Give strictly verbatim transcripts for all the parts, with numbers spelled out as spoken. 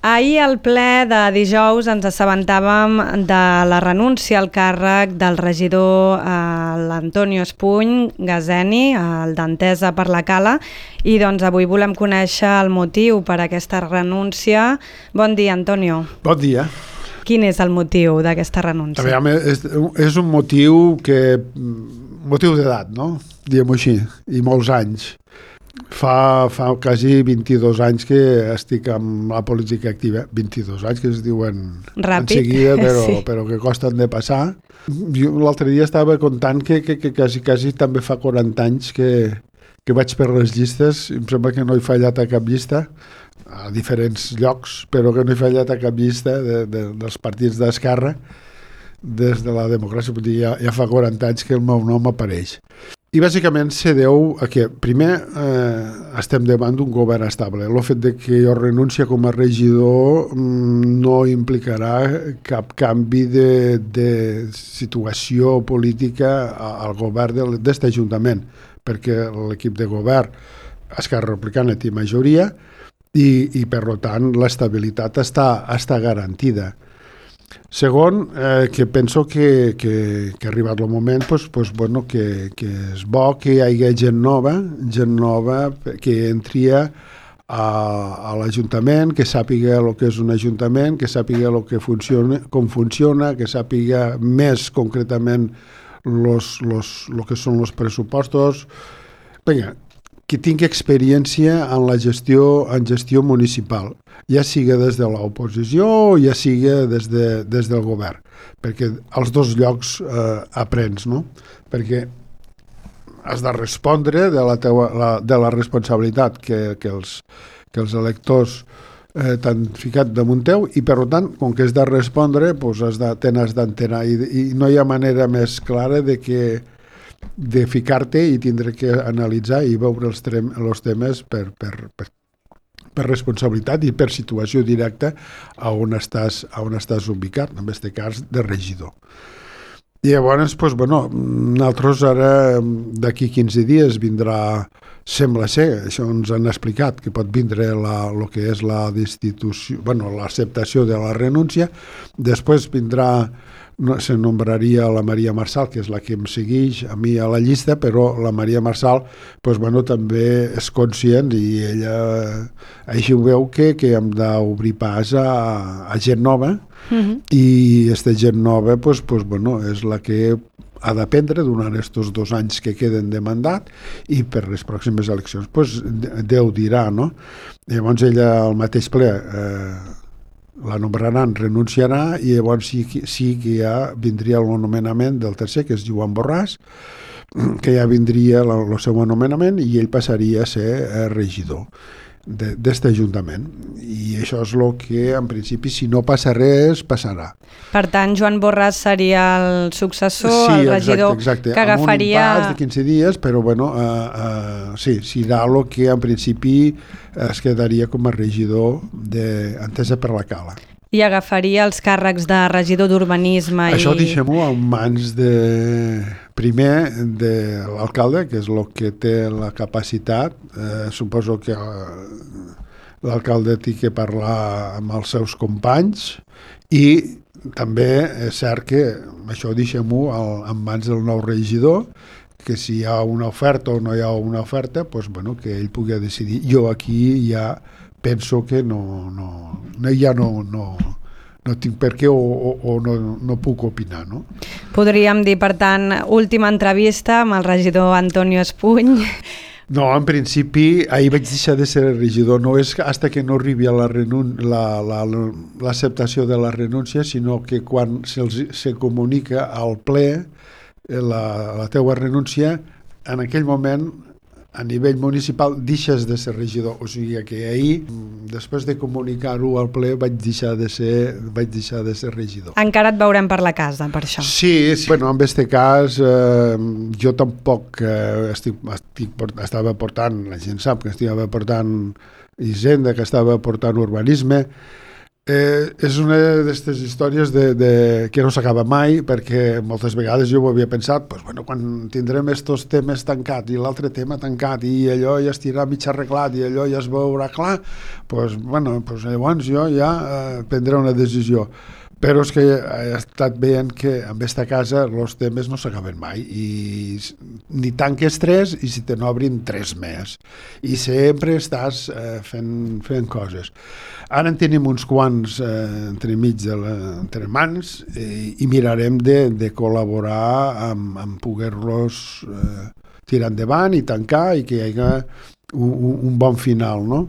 Ahir al ple de dijous ens assabentàvem de la renúncia al càrrec del regidor eh, l'Antonio Espuny Gazeni, el d'Entesa per la Cala, i doncs avui volem conèixer el motiu per a aquesta renúncia. Bon dia, Antonio. Bon dia. Quin és el motiu d'aquesta renúncia? A veure, és, és un motiu que... motiu d'edat, no? Diguem-ho així, i molts anys. Fa, fa quasi vint-i-dos anys que estic amb la política activa. vint-i-dos anys que es diuen ràpid, en seguida, però, sí. però que costen de passar. Jo l'altre dia estava contant que, que, que quasi, quasi també fa quaranta anys que, que vaig per les llistes. Em sembla que no he fallat a cap llista, a diferents llocs, però que no he fallat a cap llista de, de, dels partits d'esquerra des de la democràcia. Vull dir, ja, ja fa quaranta anys que el meu nom apareix. I bàsicament se deu a que, primer, eh, estem davant d'un govern estable. El fet de que jo renuncie com a regidor mm, no implicarà cap canvi de, de situació política al govern d'aquest ajuntament, perquè l'equip de govern Esquerra Republicana té majoria i, i per tant, l'estabilitat està, està garantida. Segon, eh, que penso que, que, que ha arribat el moment pues, pues, bueno, que, que és bo que hi hagi gent nova, gent nova que entri a, a l'Ajuntament, que sàpiga el que és un Ajuntament, que sàpiga el que funciona, com funciona, que sàpiga més concretament los, los, lo que són els pressupostos. Vinga, que tingui experiència en la gestió, en gestió municipal, ja siga des de l'oposició o ja siga des, de, des del govern, perquè als dos llocs eh, aprens, no? Perquè has de respondre de la, teua, la, de la responsabilitat que, que, els, que els electors eh, t'han ficat damunt teu i per tant, com que has de respondre, pues has de, te n'has d'enterar i, i no hi ha manera més clara de que de ficar-te i tindre que analitzar i veure els, trem, els temes per, per, per, per responsabilitat i per situació directa a on estàs, a on estàs ubicat, en aquest cas de regidor. I llavors, doncs, bueno, nosaltres ara d'aquí quinze dies vindrà, sembla ser, això ens han explicat, que pot vindre la, el que és la destitució, bueno, l'acceptació de la renúncia, després vindrà no, se nombraria la Maria Marçal, que és la que em segueix a mi a la llista, però la Maria Marçal pues, bueno, també és conscient i ella així ho veu que, que hem d'obrir pas a, a gent nova uh-huh. i aquesta gent nova pues, pues, bueno, és la que ha d'aprendre durant aquests dos anys que queden de mandat i per les pròximes eleccions pues, Déu dirà, no? Llavors ella al mateix ple eh, la nombraran, renunciarà i llavors sí, sí que ja vindria el nomenament del tercer, que és Joan Borràs, que ja vindria el, el seu nomenament i ell passaria a ser regidor d'aquest ajuntament. I això és el que, en principi, si no passa res, passarà. Per tant, Joan Borràs seria el successor, sí, el regidor exacte, exacte. que agafaria... Amb un impàs de quinze dies, però bueno, uh, uh, sí, serà el que en principi es quedaria com a regidor d'Entesa per la Cala. I agafaria els càrrecs de regidor d'urbanisme. Això i... deixem-ho en mans de, primer de l'alcalde, que és el que té la capacitat. Eh, suposo que l'alcalde té que parlar amb els seus companys i també és cert que això deixem-ho en mans del nou regidor, que si hi ha una oferta o no hi ha una oferta, pues, bueno, que ell pugui decidir. Jo aquí ja penso que no, no, ja no, no, no tinc per què o, o, o no, no puc opinar, no? Podríem dir, per tant, última entrevista amb el regidor Antonio Espuny. No, en principi, ahir vaig deixar de ser regidor. No és fins que no arribi a la renun- la, la, l'acceptació de la renúncia, sinó que quan se'ls, se comunica al ple la, la teua renúncia, en aquell moment a nivell municipal deixes de ser regidor, o sigui que ahir, després de comunicar-ho al ple, vaig deixar de ser, vaig deixar de ser regidor. Encara et veurem per la casa, per això. Sí, sí. Bueno, en aquest cas, eh, jo tampoc eh, estic, estic, estava portant, la gent sap que estava portant Hisenda, que estava portant urbanisme, Eh, és una d'aquestes històries de, de, que no s'acaba mai, perquè moltes vegades jo ho havia pensat, pues, bueno, quan tindrem estos temes tancats i l'altre tema tancat i allò ja estirà mig arreglat i allò ja es veurà clar, pues, bueno, pues, llavors jo ja eh, prendré una decisió. Però és que he estat veient que en aquesta casa els temes no s'acaben mai i ni tanques tres i si te n'obrin tres més i sempre estàs eh, fent, fent coses. Ara en tenim uns quants eh, entre mig de la, entre mans i, i mirarem de, de col·laborar amb, amb poder-los eh, tirar endavant i tancar i que hi hagi un, un bon final, no?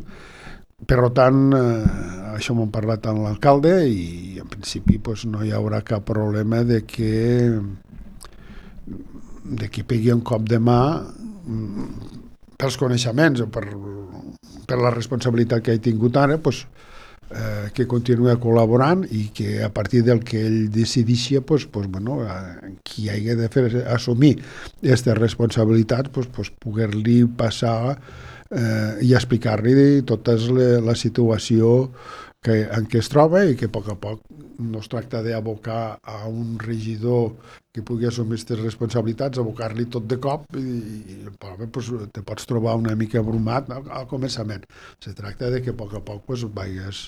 Per tant, eh, això m'ho han parlat amb l'alcalde i en principi pues, no hi haurà cap problema de que de que pegui un cop de mà pels coneixements o per, per la responsabilitat que he tingut ara, pues, eh, que continuï col·laborant i que a partir del que ell decidixi, pues, pues, bueno, eh, qui hagi de fer assumir aquesta responsabilitat, pues, pues, poder-li passar Eh, i explicar-li tota la, la situació que, en què es troba i que a poc a poc no es tracta d'abocar a un regidor que pugui assumir aquestes responsabilitats, abocar-li tot de cop i, i pues, te pots trobar una mica abrumat al, al començament. Se tracta de que a poc a poc pues, vagis,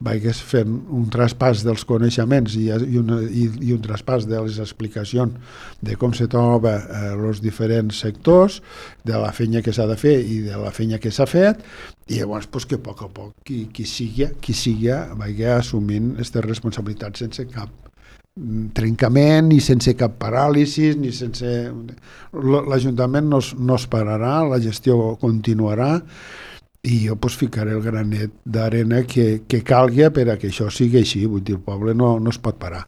vagis fent un traspàs dels coneixements i, i, una, i, i un traspàs de les explicacions de com se troba els eh, diferents sectors, de la feina que s'ha de fer i de la feina que s'ha fet, i llavors pues, que a poc a poc qui, qui sigui, qui sigui vagi assumint aquestes responsabilitats sense cap trencament ni sense cap paràlisi ni sense... l'Ajuntament no, no es pararà, la gestió continuarà i jo pues, ficaré el granet d'arena que, que calgui per a que això sigui així, vull dir, el poble no, no es pot parar.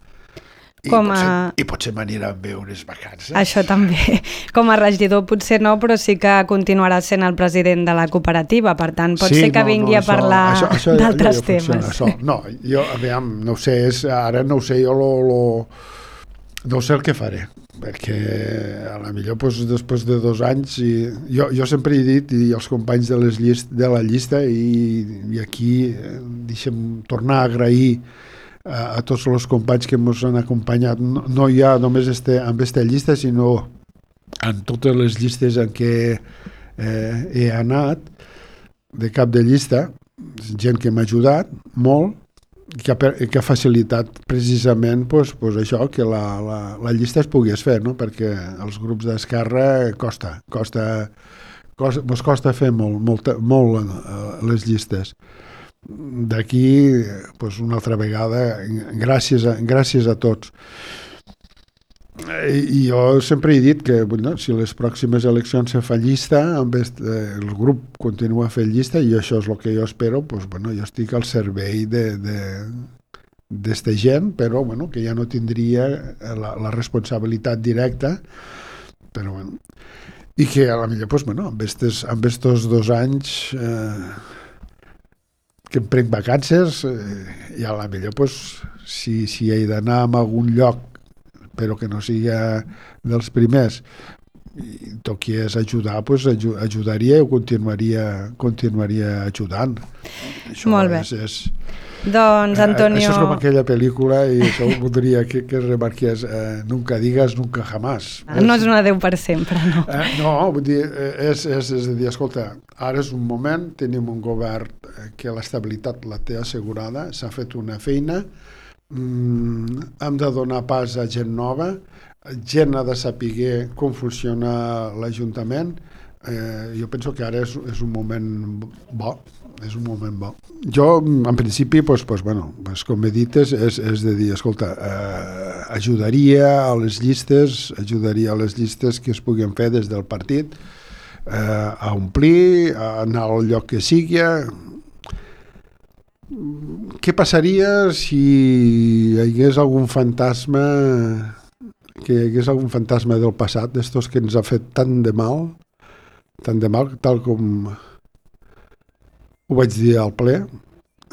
I, Com a... potser, I potser m'anirà a veure unes vacances. Això també. Com a regidor potser no, però sí que continuarà sent el president de la cooperativa, per tant pot sí, ser que no, vingui no, això, a parlar això, això, d'altres ja, ja temes. Això. No, jo, aviam, no ho sé, és, ara no ho sé, jo lo, lo, no sé el que faré, perquè a la millor pues, després de dos anys, i, jo, jo sempre he dit, i els companys de, les llist, de la llista, i, i aquí eh, deixem tornar a agrair a tots els companys que ens han acompanyat, no, no ja només este, amb aquesta llista, sinó en totes les llistes en què eh, he anat de cap de llista, gent que m'ha ajudat molt, que ha, que ha facilitat precisament pues, pues això, que la, la, la llista es pogués fer, no? Perquè els grups d'esquerra costa, costa, costa, mos costa fer molt, molt, molt uh, les llistes. D'aquí, pues, una altra vegada, gràcies a, gràcies a tots. I, i jo sempre he dit que bueno, si les pròximes eleccions se fa llista, amb est, eh, el grup continua fent llista i això és el que jo espero, pues, bueno, jo estic al servei de, de, d'esta gent, però bueno, que ja no tindria la, la responsabilitat directa, però bueno, i que a la millor, pues, bueno, amb estos, amb estos dos anys eh, que em prenc vacances eh, i a la millor pues, si, si he d'anar a algun lloc però que no sigui dels primers i toquies ajudar, pues, ajudaria i continuaria, continuaria ajudant. Això molt bé. És, és, doncs, Antonio... Eh, això és com aquella pel·lícula i això voldria que, que remarqués eh, nunca digas, nunca jamás. No és un adeu per sempre, no. Eh, no, vull dir, és, és, és a dir, escolta, ara és un moment, tenim un govern que l'estabilitat la té assegurada, s'ha fet una feina, mm, hem de donar pas a gent nova, gent ha de saber com funciona l'Ajuntament. Eh, jo penso que ara és, és un moment bo, és un moment bo. Jo, en principi, pues, pues, bueno, pues, com he dit, és, és, és de dir, escolta, eh, ajudaria a les llistes, ajudaria a les llistes que es puguin fer des del partit, eh, a omplir, a anar al lloc que sigui. Què passaria si hi hagués algun fantasma, que hi hagués algun fantasma del passat, d'estos que ens ha fet tant de mal, tant de mal, tal com ho vaig dir al ple,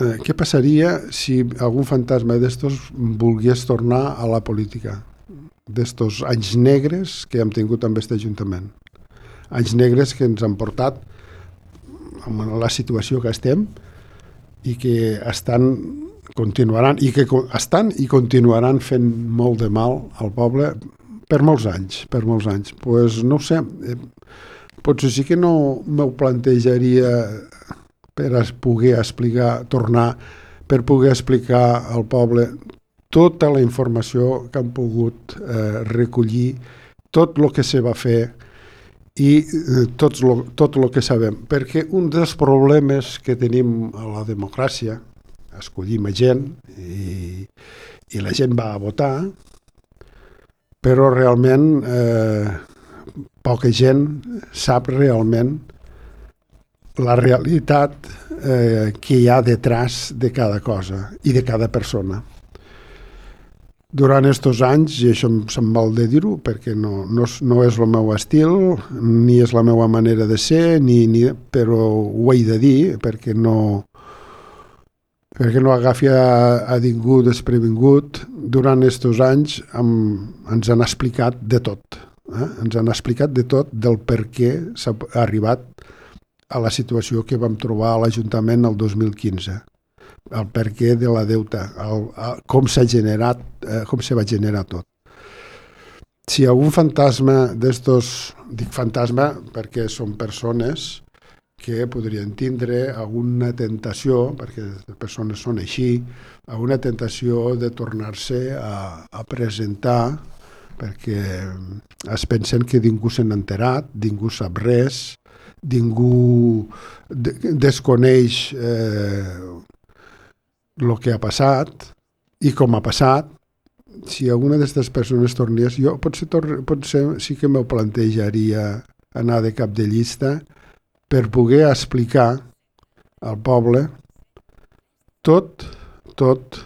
eh, què passaria si algun fantasma d'estos volgués tornar a la política, d'estos anys negres que hem tingut amb aquest Ajuntament, anys negres que ens han portat a la situació que estem i que estan continuaran, i que estan i continuaran fent molt de mal al poble per molts anys, per molts anys. Pues no ho sé, eh, potser sí que no m'ho plantejaria per poder explicar, tornar, per poder explicar al poble tota la informació que han pogut eh, recollir, tot el que se va fer i eh, tot lo, tot el que sabem. Perquè un dels problemes que tenim a la democràcia, escollim a gent i, i la gent va a votar, però realment eh, poca gent sap realment la realitat eh, que hi ha detrás de cada cosa i de cada persona. Durant aquests anys, i això se'm val de dir-ho, perquè no, no, no és el meu estil, ni és la meva manera de ser, ni, ni, però ho he de dir, perquè no, perquè no agafi a, a ningú desprevingut. Durant aquests anys hem, ens han explicat de tot. Eh? Ens han explicat de tot del per què s'ha arribat a la situació que vam trobar a l'Ajuntament el dos mil quinze. El perquè de la deuta, el, el, com s'ha generat, eh, com se va generar tot. Si hi ha un fantasma d'estos, dic fantasma perquè són persones que podrien tindre alguna tentació, perquè les persones són així, alguna tentació de tornar-se a, a presentar, perquè es pensen que ningú se n'ha enterat, ningú sap res, ningú de, desconeix eh, el que ha passat i com ha passat. Si alguna d'aquestes persones tornés, jo potser, tor- potser sí que m'ho plantejaria anar de cap de llista per poder explicar al poble tot, tot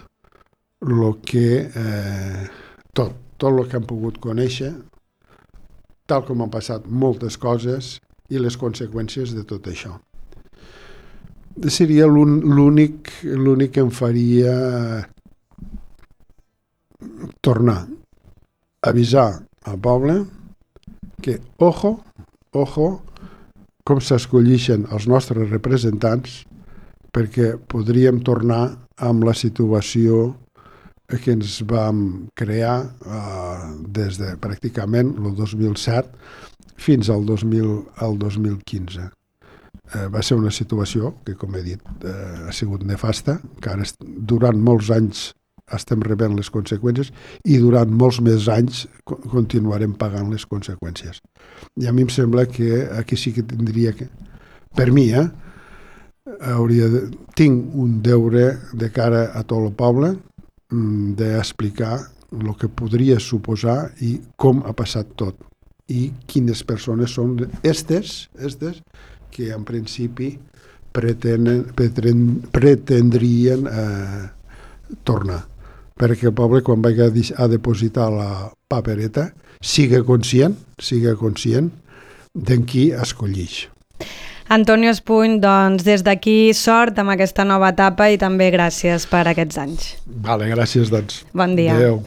el que eh, tot, tot el que han pogut conèixer, tal com han passat moltes coses i les conseqüències de tot això. Seria l'únic, l'únic que em faria tornar a avisar al poble que, ojo, ojo, com s'escollixen els nostres representants, perquè podríem tornar amb la situació que ens vam crear eh, des de pràcticament el dos mil set fins al dos mil, al dos mil quinze. Eh, va ser una situació que, com he dit, eh, ha sigut nefasta, que ara durant molts anys estem rebent les conseqüències i durant molts més anys co- continuarem pagant les conseqüències. I a mi em sembla que aquí sí que tindria que, per mi, eh, hauria de, tinc un deure de cara a tot el poble mm, d'explicar el que podria suposar i com ha passat tot i quines persones són estes, estes que en principi pretenen, pretend, pretendrien eh, tornar. Perquè el poble, quan vagi a, a depositar la papereta, siga conscient, siga conscient d'en qui escollix. Antonio Espuny, doncs des d'aquí sort amb aquesta nova etapa i també gràcies per aquests anys. Vale, gràcies, doncs. Bon dia. Adéu.